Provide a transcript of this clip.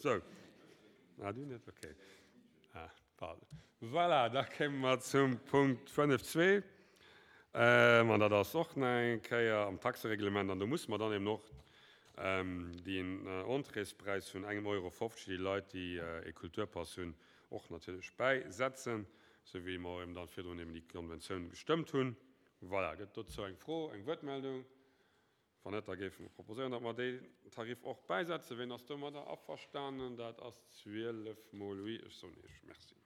Sou. Ah, du net? Okay. Ah, pardon. Voilà, da kéime mer zum Punkt 5.2. An dat ass och nach eng Kéier am Taxereglement. An do musse mer dann eben och deen Entréespräis vun engem Euro 50, déi Leit, déi e Kulturpass hunn, och natierlech bäisetzen, sou wéi mer eben dann virdrun eben déi Konventioun gestëmmt hunn. Voilà, gëtt dozou eng Fro, eng Wuertmeldung? Wann net, da géife mer proposéieren, datt mer deen Tarif och bäisetzen. Ween ass domadder averstanen? Dat ass 12 mol oui. Ech soen Iech Merci.